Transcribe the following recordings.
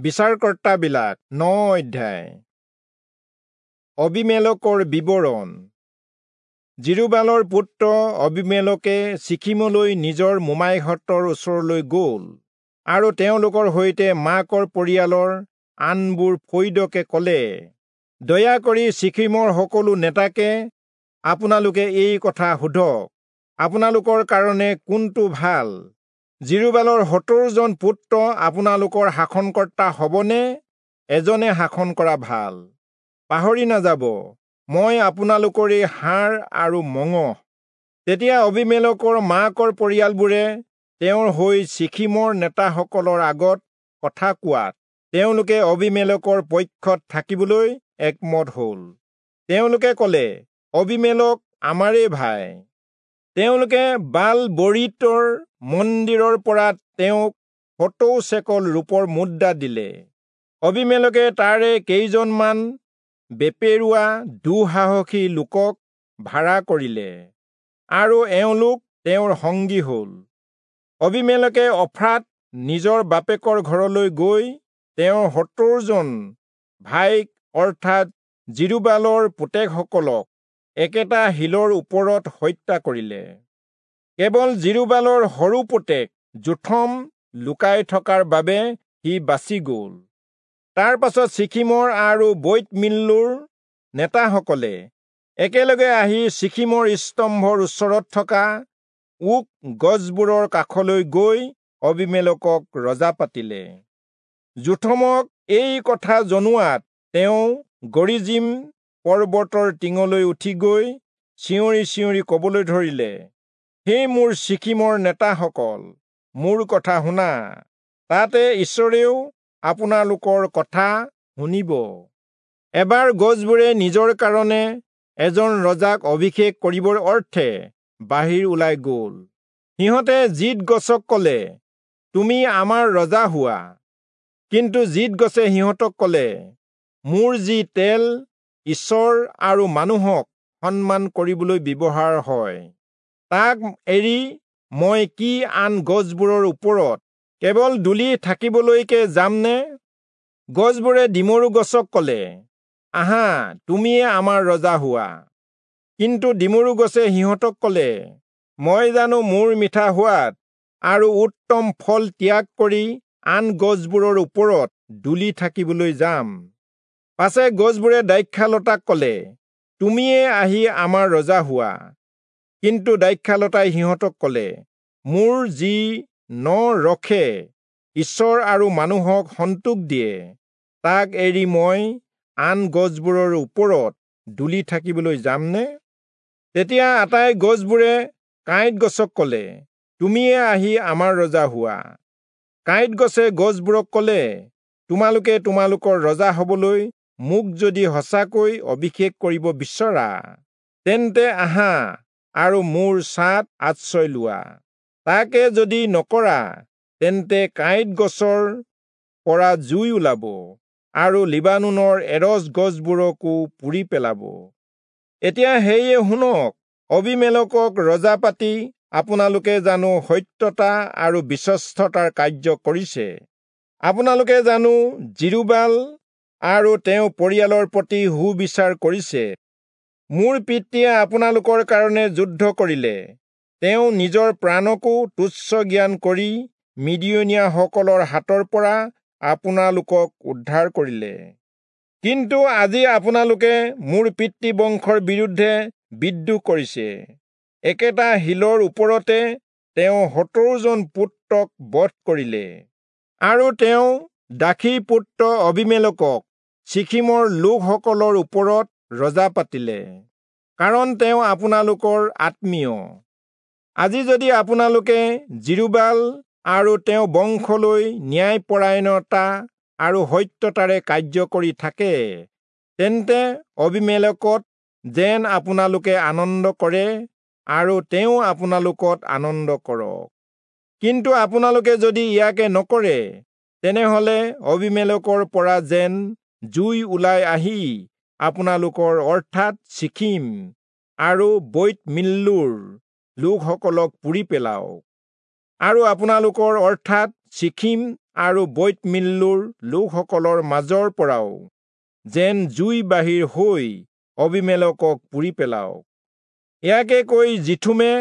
বিচাৰকৰ্তাবিলাক 9 অধ্যায়। অবিমেলকৰ বিৱৰণ। জিৰুবালৰ পুত্ৰ অবিমেলকে চিখিমলৈ নিজৰ মোমাইহঁতৰ ওচৰলৈ গ'ল আৰু তেওঁলোকৰ সৈতে মাকৰ পৰিয়ালৰ আনবোৰ ফৈদকে ক'লে, দয়া কৰি চিখিমৰ সকলো নেতাকে আপোনালোকে এই কথা সোধক, আপোনালোকৰ কাৰণে কোনটো ভাল? জিৰুবালৰ 70 জন পুত্ৰ আপোনালোকৰ শাসনকৰ্তা হ'বনে এজনে শাসন কৰা ভাল? পাহৰি নাযাব, মই আপোনালোকৰে হাড় আৰু মঙহ। তেতিয়া অবিমেলকৰ মাকৰ পৰিয়ালবোৰে তেওঁৰ হৈ চিখিমৰ নেতাসকলৰ আগত কথা কোৱাত তেওঁলোকে অবিমেলকৰ পক্ষত থাকিবলৈ একমত হ'ল। তেওঁলোকে ক'লে, অবিমেলক আমাৰেই ভাই। তেওঁলোকে বাল বৰীতৰ মন্দিৰৰ পৰা তেওঁক 70 চেকল ৰূপৰ মুদ্ৰা দিলে। অবিমেলকে তাৰে কেইজনমান বেপেৰুৱা দুঃসাহসী লোকক ভাড়া কৰিলে আৰু এওঁলোক তেওঁৰ সংগী হ'ল। অবিমেলকে অফ্ৰাত নিজৰ বাপেকৰ ঘৰলৈ গৈ তেওঁৰ 70 জন ভাইক অৰ্থাৎ জিৰুবালৰ পুতেকসকলক একেটা শিলৰ ওপৰত হত্যা কৰিলে। কেৱল জিৰুবালৰ সৰু পুতেক যোথম লুকাই থকাৰ বাবে সি বাচি গ'ল। তাৰ পাছত চিখিমৰ আৰু বৈৎ-মিল্লোৰ নেতাসকলে একেলগে আহি চিখিমৰ স্তম্ভৰ ওচৰত থকা ওক গছবোৰৰ কাষলৈ গৈ অবিমেলকক ৰজা পাতিলে। যোথমক এই কথা জনোৱাত তেওঁ গৰিজিম পৰ্বতৰ টিঙলৈ উঠি গৈ চিঞৰি চিঞৰি ক'বলৈ ধৰিলে, হে মোৰ চিখিমৰ নেতাসকল, মোৰ কথা শুনা, তাতে ঈশ্বৰেও আপোনালোকৰ কথা শুনিব। এবাৰ গছবোৰে নিজৰ কাৰণে এজন ৰজাক অভিষেক কৰিবৰ অৰ্থে বাহিৰ ওলাই গ'ল। সিহঁতে জিত গছক ক'লে, তুমি আমাৰ ৰজা হোৱা। কিন্তু জিত গছে সিহঁতক ক'লে, মোৰ যি তেল ঈশ্বৰ আৰু মানুহক সন্মান কৰিবলৈ ব্যৱহাৰ হয়, তাক এৰি মই কি আন গছবোৰৰ ওপৰত কেৱল দুলি থাকিবলৈকে যামনে? গছবোৰে ডিমৰু গছক ক'লে, আহা, তুমিয়ে আমাৰ ৰজা হোৱা। কিন্তু ডিমৰু গছে সিহঁতক ক'লে, মই জানো মোৰ মিঠা সোৱাদ আৰু উত্তম ফল ত্যাগ কৰি আন গছবোৰৰ ওপৰত দুলি থাকিবলৈ যাম? পাছে গছবোৰে দ্ৰাক্ষালতাক ক'লে, তুমিয়ে আহি আমাৰ ৰজা হোৱা। কিন্তু দ্ৰাক্ষালতাই সিহঁতক ক'লে, মোৰ যি ন ৰসে ঈশ্বৰ আৰু মানুহক সন্তোষ দিয়ে, তাক এৰি মই আন গছবোৰৰ ওপৰত দুলি থাকিবলৈ যামনে? তেতিয়া আটাই গছবোৰে কাঁইট গছক ক'লে, তুমিয়ে আহি আমাৰ ৰজা হোৱা। কাঁইট গছে গছবোৰক ক'লে, তোমালোকে তোমালোকৰ ৰজা হবলৈ মোক যদি সঁচাকৈ অভিষেক কৰিব বিচৰা, তেন্তে আহা আৰু মোৰ ছাঁত আশ্ৰয় লোৱা। তাকে যদি নকৰা, তেন্তে কাঁইট গছৰ পৰা জুই ওলাব আৰু লিবানোনৰ এৰচ গছবোৰকো পুৰি পেলাব। এতিয়া সেয়ে শুনক, অবিমেলকক ৰজা পাতি আপোনালোকে জানো সত্যতা আৰু বিশ্বস্ততাৰ কাৰ্য কৰিছে? আপোনালোকে জানো জিৰুবাল আৰু তেওঁ পৰিয়ালৰ প্ৰতি সুবিচাৰ কৰিছে? মোৰ পিতৃয়ে আপোনালোকৰ কাৰণে যুদ্ধ কৰিলে, তেওঁ নিজৰ প্ৰাণকো তুচ্ছ জ্ঞান কৰি মিদিয়নীয়াসকলৰ হাতৰ পৰা আপোনালোকক উদ্ধাৰ কৰিলে। কিন্তু আজি আপোনালোকে মোৰ পিতৃবংশৰ বিৰুদ্ধে বিদ্ৰোহ কৰিছে। একেটা শিলৰ ওপৰতে তেওঁ 70 জন পুত্ৰক বধ কৰিলে আৰু তেওঁ দাসীৰ পুত্ৰ অবিমেলকক চিখিমৰ লোকসকলৰ ওপৰত ৰজা পাতিলে, কাৰণ তেওঁ আপোনালোকৰ আত্মীয়। আজি যদি আপোনালোকে জিৰুবাল আৰু তেওঁ বংশলৈ ন্যায়পৰায়ণতা আৰু সত্যতাৰে কাৰ্য কৰি থাকে, তেন্তে অবিমেলকত যেন আপোনালোকে আনন্দ কৰে আৰু তেওঁ আপোনালোকত আনন্দ কৰক। কিন্তু আপোনালোকে যদি ইয়াকে নকৰে, তেনেহলে অবিমেলকৰ পৰা যেন জুই ওলাই আহি আপোনালোকৰ অৰ্থাৎ চিখিম আৰু বৈৎ-মিল্লোৰ লোকসকলক পুৰি পেলাওক আৰু আপোনালোকৰ অৰ্থাৎ চিখিম আৰু বৈৎ-মিল্লোৰ লোকসকলৰ মাজৰ পৰাও যেন জুই বাহিৰ হৈ অবীমেলকক পুৰি পেলাওক। ইয়াকে কৈ যিথোমে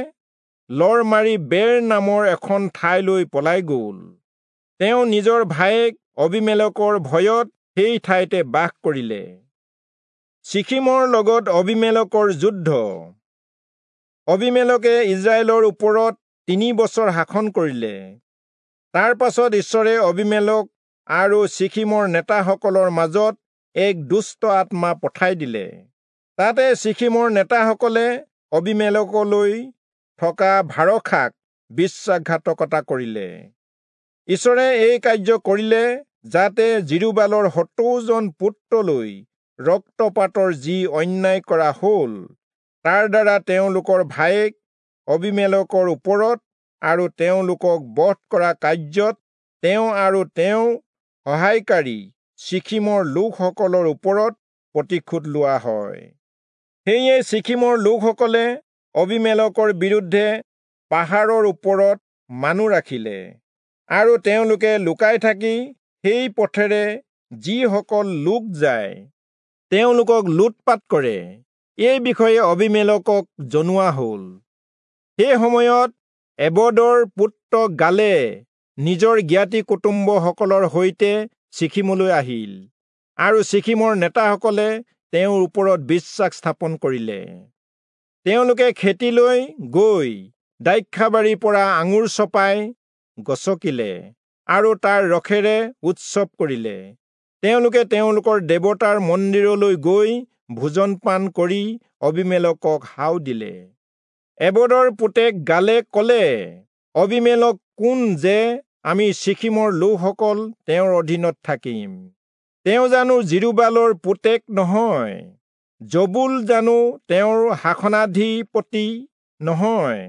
লৰ মাৰি বেৰ নামৰ এখন ঠাইলৈ পলাই গ'ল। তেওঁ নিজৰ ভায়েক অবীমেলকৰ ভয়ত সেই ঠাইতে বাস কৰিলে। চিখিমৰ লগত অবীমেলকৰ যুদ্ধ। অবীমেলকে ইস্ৰায়েলৰ ওপৰত 3 বছৰ শাসন কৰিলে। তাৰ পাছত ঈশ্বৰে অবীমেলক আৰু চিখিমৰ নেতাসকলৰ মাজত এক দুষ্ট আত্মা পঠাই দিলে। তাতে চিখিমৰ নেতাসকলে অবীমেলকলৈ থকা ভাৰসাক বিশ্বাসঘাতকতা কৰিলে। ঈশ্বৰে এই কাৰ্য কৰিলে যাতে যিৰুবালৰ 70 জন পুত্ৰলৈ ৰক্তপাতৰ যি অন্যায় কৰা হ'ল, তাৰ দ্বাৰা তেওঁলোকৰ ভায়েক অবীমেলকৰ ওপৰত আৰু তেওঁলোকক বধ কৰা কাৰ্যত তেওঁ আৰু তেওঁৰ সহায়কাৰী চিখিমৰ লোকসকলৰ ওপৰত প্ৰতিশোধ লোৱা হয়। সেয়ে চিখিমৰ লোকসকলে অবীমেলকৰ বিৰুদ্ধে পাহাৰৰ ওপৰত মানুহ ৰাখিলে আৰু তেওঁলোকে লুকাই থাকি সেই পথেৰে যিসকল লোক যায় তেওঁলোকক লুটপাত কৰে। এই বিষয়ে অবীমেলকক জনোৱা হ'ল। সেই সময়ত এবদৰ পুত্ৰ গালে নিজৰ জ্ঞাতি কুটুম্বসকলৰ সৈতে চিখিমলৈ আহিল আৰু চিখিমৰ নেতাসকলে তেওঁৰ ওপৰত বিশ্বাস স্থাপন কৰিলে। তেওঁলোকে খেতিলৈ গৈ দ্ৰাক্ষাবাৰীৰ পৰা আঙুৰ চপাই গচকিলে আৰু তাৰ ৰসেৰে উৎসৱ কৰিলে। তেওঁলোকে তেওঁলোকৰ দেৱতাৰ মন্দিৰলৈ গৈ ভোজন পান কৰি অবীমেলকক হাও দিলে। এবদৰ পুতেক গালে ক'লে, অবীমেলক কোন যে আমি চিখিমৰ লোকসকল তেওঁৰ অধীনত থাকিম? তেওঁ জানো যিৰুবালৰ পুতেক নহয়? জবুল জানো তেওঁৰ শাসনাধিপতি নহয়?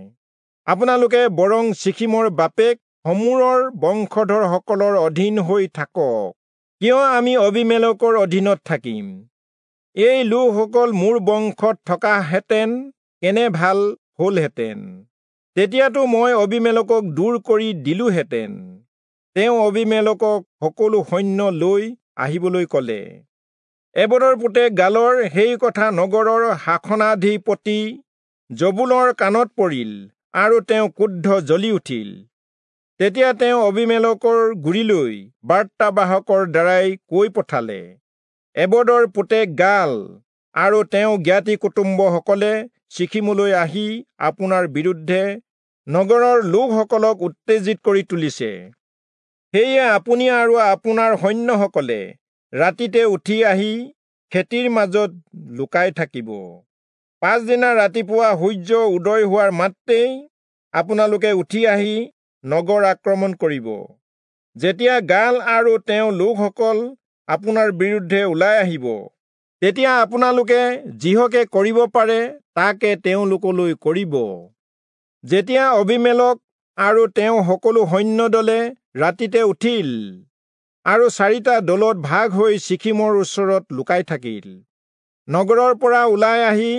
আপোনালোকে বৰং চিখিমৰ বাপেক হমোৰৰ বংশধৰসকলৰ অধীন হৈ থাকক। কিয় আমি অবীমেলকৰ অধীনত থাকিম? এই লোকসকল মোৰ বংশত থকাহেঁতেন কেনে ভাল হ'লহেঁতেন! তেতিয়াতো মই অবীমেলকক দূৰ কৰি দিলোহেঁতেন। তেওঁ অবীমেলকক সকলো সৈন্য লৈ আহিবলৈ ক'লে। এবদৰ পুতেক গালৰ সেই কথা নগৰৰ শাসনাধিপতি জবুলৰ কাণত পৰিল আৰু তেওঁ ক্ৰোধ জ্বলি উঠিল। তেতিয়া তেওঁ অবীমেলকৰ গুৰিলৈ বাৰ্তাবাহকৰ দ্বাৰাই কৈ পঠালে, এবদৰ পুতেক গাল আৰু তেওঁ জ্ঞাতি কুটুম্বসকলে চিখিমলৈ আহি আপোনাৰ বিৰুদ্ধে নগৰৰ লোকসকলক উত্তেজিত কৰি তুলিছে। সেয়ে আপুনি আৰু আপোনাৰ সৈন্যসকলে ৰাতিতে উঠি আহি খেতিৰ মাজত লুকাই থাকিব। পাছদিনা ৰাতিপুৱা সূৰ্য উদয় হোৱাৰ মাত্ৰেই আপোনালোকে উঠি আহি নগৰ আক্ৰমণ কৰিব। যেতিয়া গাল আৰু তেওঁ লোকসকল আপোনাৰ বিৰুদ্ধে ওলাই আহিব, তেতিয়া আপোনালোকে যিহকে কৰিব পাৰে তাকে তেওঁলোকলৈ কৰিব। যেতিয়া অবীমেলক আৰু তেওঁ সকলো সৈন্য দলে ৰাতিতে উঠিল আৰু 4টা দলত ভাগ হৈ চিখিমৰ ওচৰত লুকাই থাকিল। নগৰৰ পৰা ওলাই আহি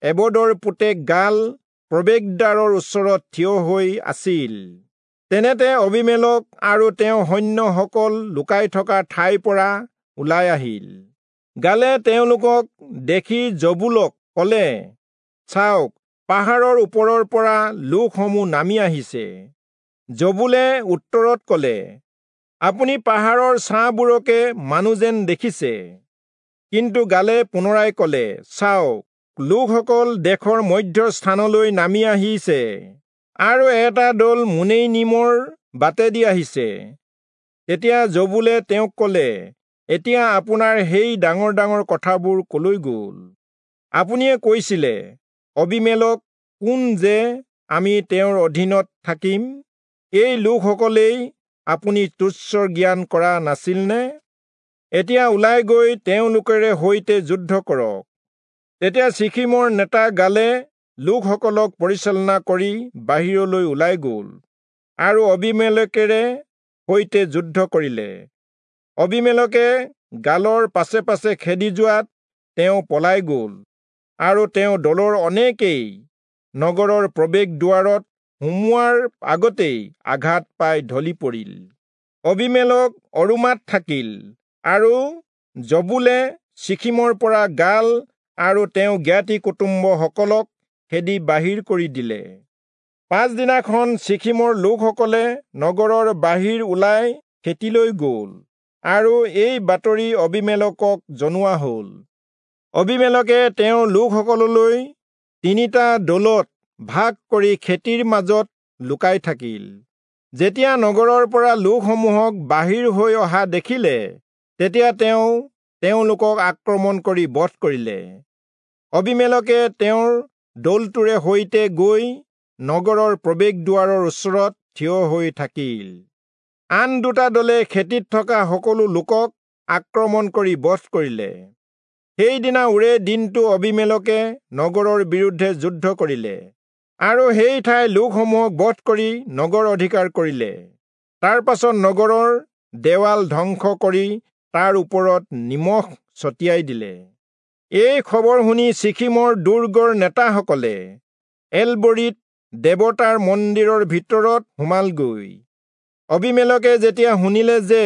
এবদৰ পুতেক গাল প্ৰৱেশদ্বাৰৰ ওচৰত থিয় হৈ আছিল। তেনেতে অবীমেলক আৰু তেওঁ সৈন্যসকল লুকাই থকা ঠাইৰ পৰা ওলাই আহিল। গালে তেওঁলোকক দেখি জবুলক ক'লে, চাওক, পাহাৰৰ ওপৰৰ পৰা লোকসমূহ নামি আহিছে। জবুলে উত্তৰত ক'লে, আপুনি পাহাৰৰ ছাঁবোৰকে মানুহ যেন দেখিছে। কিন্তু গালে পুনৰাই ক'লে, চাওক, লোকসকল দেশৰ মধ্য স্থানলৈ নামি আহিছে আৰু এটা দল মুনেইনিমৰ বাটেদি আহিছে। তেতিয়া জবুলে তেওঁক ক'লে, এতিয়া আপোনাৰ সেই ডাঙৰ ডাঙৰ কথাবোৰ কলৈ গ'ল? আপুনিয়ে কৈছিলে, অবীমেলক কোন যে আমি তেওঁৰ অধীনত থাকিম? এই লোকসকলেই আপুনি তুচ্ছ জ্ঞান কৰা নাছিলনে? এতিয়া ওলাই গৈ তেওঁলোকেৰে সৈতে যুদ্ধ কৰক। তেতিয়া চিখিমৰ নেতা গালে লোকসকলক পৰিচালনা কৰি বাহিৰলৈ ওলাই গ'ল আৰু অবীমেলকেৰে সৈতে যুদ্ধ কৰিলে। অবীমেলকে গালৰ পাছে পাছে খেদি যোৱাত তেওঁ পলাই গ'ল আৰু তেওঁ দলৰ অনেকেই নগৰৰ প্ৰৱেশ দুৱাৰত সোমোৱাৰ আগতেই আঘাত পাই ঢলি পৰিল। অবীমেলক অৰূমাত থাকিল আৰু জবূলে চিখিমৰ পৰা গাল আৰু তেওঁ জ্ঞাতি কুটুম্বসকলক খেদি বাহিৰ কৰি দিলে। পাছদিনাখন চিখিমৰ লোকসকলে নগৰৰ বাহিৰ ওলাই খেতিলৈ গ'ল আৰু এই বাতৰি অবীমেলকক জনোৱা হ'ল। অবীমেলকে তেওঁৰ লোকসকললৈ 3টা দলত ভাগ কৰি খেতিৰ মাজত লুকাই থাকিল। যেতিয়া নগৰৰ পৰা লোকসমূহক বাহিৰ হৈ অহা দেখিলে, তেতিয়া তেওঁ তেওঁলোকক আক্ৰমণ কৰি বধ কৰিলে। অবীমেলকে তেওঁৰ দলটোৰে সৈতে গৈ নগৰৰ প্ৰৱেশদ্বাৰৰ ওচৰত থিয় হৈ থাকিল। আন 2টা দলে খেতিত থকা সকলো লোকক আক্ৰমণ কৰি বধ কৰিলে। সেইদিনা ওৰে দিনটো অবীমেলকে নগৰৰ বিৰুদ্ধে যুদ্ধ কৰিলে আৰু সেই ঠাইৰ লোকসমূহক বধ কৰি নগৰ অধিকাৰ কৰিলে। তাৰ পাছত নগৰৰ দেৱাল ধ্বংস কৰি তাৰ ওপৰত নিমখ ছটিয়াই দিলে। এই খবৰ শুনি চিখিমৰ দুৰ্গৰ নেতাসকলে এলবৰীত দেৱতাৰ মন্দিৰৰ ভিতৰত সোমালগৈ। অবীমেলকে যেতিয়া শুনিলে যে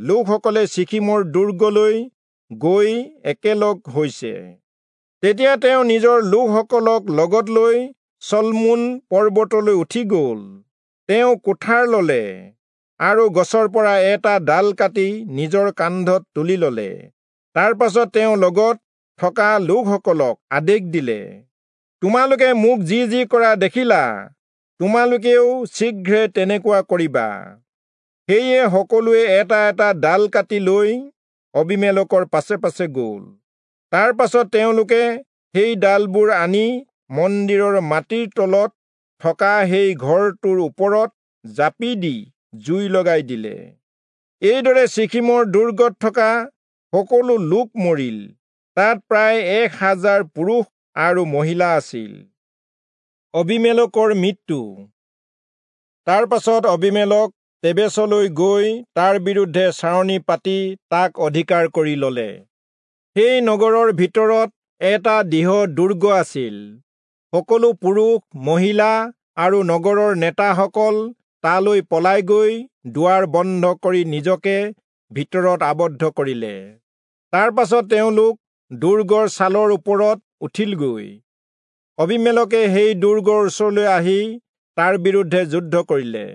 লোকসকলে চিখিমৰ দুৰ্গলৈ গৈ একেলগ হৈছে, তেতিয়া তেওঁ নিজৰ লোকসকলক লগত লৈ চলমোন পৰ্বতলৈ উঠি গ'ল। তেওঁ কুঠাৰ ললে আৰু গছৰ পৰা এটা ডাল কাটি নিজৰ কান্ধত তুলি ললে। তাৰ পাছত তেওঁ লগত থকা লোকসকলক আদেশ দিলে, তোমালোকে মোক যি যি কৰা দেখিলা, তোমালোকেও শীঘ্ৰে তেনেকুৱা কৰিবা। সেয়ে সকলোৱে এটা এটা ডাল কাটি লৈ অবীমেলকৰ পাছে পাছে গ'ল। তাৰ পাছত তেওঁলোকে সেই ডালবোৰ আনি মন্দিৰৰ মাটিৰ তলত থকা সেই ঘৰটোৰ ওপৰত জাপি দি জুই লগাই দিলে। এইদৰে চিখিমৰ দুৰ্গত থকা সকলো লোক মৰিল। তাত প্ৰায় 1000 পুৰুষ আৰু মহিলা আছিল। অবীমেলকৰ মৃত্যু। তাৰ পাছত অবীমেলক তেবেচলৈ গৈ তাৰ বিৰুদ্ধে চাৰণি পাতি তাক অধিকাৰ কৰি ললে। সেই নগৰৰ ভিতৰত এটা দৃঢ় দুৰ্গ আছিল। সকলো পুৰুষ, মহিলা আৰু নগৰৰ নেতাসকল তালৈ পলাই গৈ দুৱাৰ বন্ধ কৰি নিজকে ভিতৰত আবদ্ধ কৰিলে। তাৰ পাছত তেওঁলোক দুৰ্গৰ ছালৰ ওপৰত উঠিলগৈ। অবীমেলকে সেই দুৰ্গৰ ওচৰলৈ আহি তাৰ বিৰুদ্ধে যুদ্ধ কৰিলে।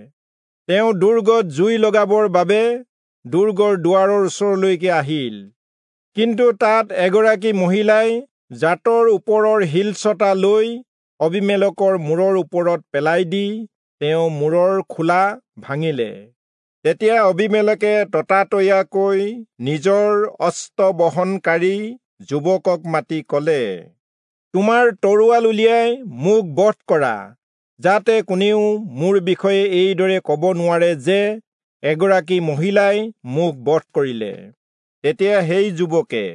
তেওঁ দুৰ্গত জুই লগাবৰ বাবে দুৰ্গৰ দুৱাৰৰ ওচৰলৈকে আহিল। কিন্তু তাত এগৰাকী মহিলাই জাতৰ ওপৰৰ শিলচটা লৈ অবীমেলকৰ মূৰৰ ওপৰত পেলাই দি তেওঁ মূৰৰ খোলা ভাঙিলে। তেতিয়া অবীমেলকে ততাতৈয়াকৈ নিজৰ অস্ত্ৰ বহনকাৰী যুৱকক মাতি কলে, তোমাৰ তৰোৱাল উলিয়াই মোক বধ কৰা, যাতে কোনেও মোৰ বিষয়ে এইদৰে কব নোৱাৰে যে এগৰাকী মহিলাই মোক বধ কৰিলে। তেতিয়া সেই যুৱকে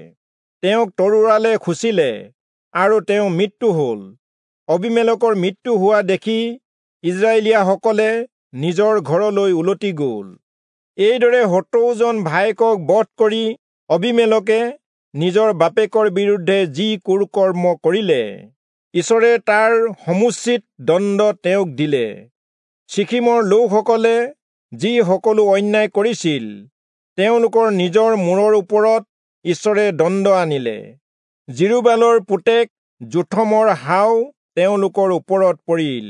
তেওঁক তৰোৱালে খুচিলে আৰু তেওঁ মৃত্যু হল। অবীমেলকৰ মৃত্যু হোৱা দেখি ইজৰাইলীয়াসকলে নিজৰ ঘৰলৈ উলটি গ'ল। এইদৰে 70 জন ভায়েকক বধ কৰি অবীমেলকে নিজৰ বাপেকৰ বিৰুদ্ধে যি কুকৰ্ম কৰিলে, ঈশ্বৰে তাৰ সমুচিত দণ্ড তেওঁক দিলে। চিখিমৰ লোকসকলে যি সকলো অন্যায় কৰিছিল, তেওঁলোকৰ নিজৰ মূৰৰ ওপৰত ঈশ্বৰে দণ্ড আনিলে। যিৰুবালৰ পুতেক যোথমৰ হাও তেওঁলোকৰ ওপৰত পৰিল।